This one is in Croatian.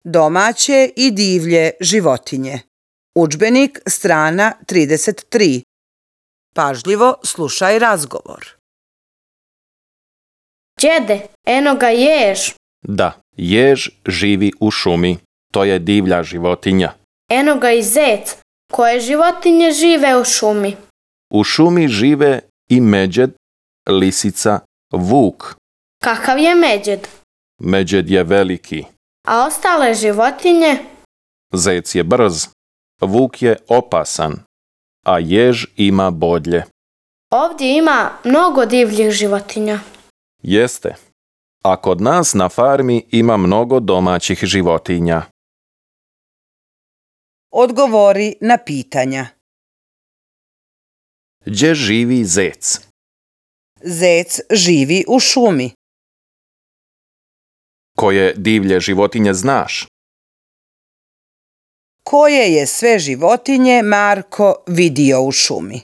Domaće i divlje životinje. Udžbenik, strana 33. Pažljivo slušaj razgovor. Đede, eno ga jež. Da, jež živi u šumi. To je divlja životinja. Eno ga i zec. Koje životinje žive u šumi? U šumi žive i međed, lisica, vuk. Kakav je međed? Međed je veliki. A ostale životinje? Zec je brz. Vuk je opasan. A jež ima bodlje. Ovdje ima mnogo divljih životinja. Jeste. A kod nas na farmi ima mnogo domaćih životinja. Odgovori na pitanja. Gdje živi zec? Zec živi u šumi. Koje divlje životinje znaš? Koje je sve životinje Marko vidio u šumi?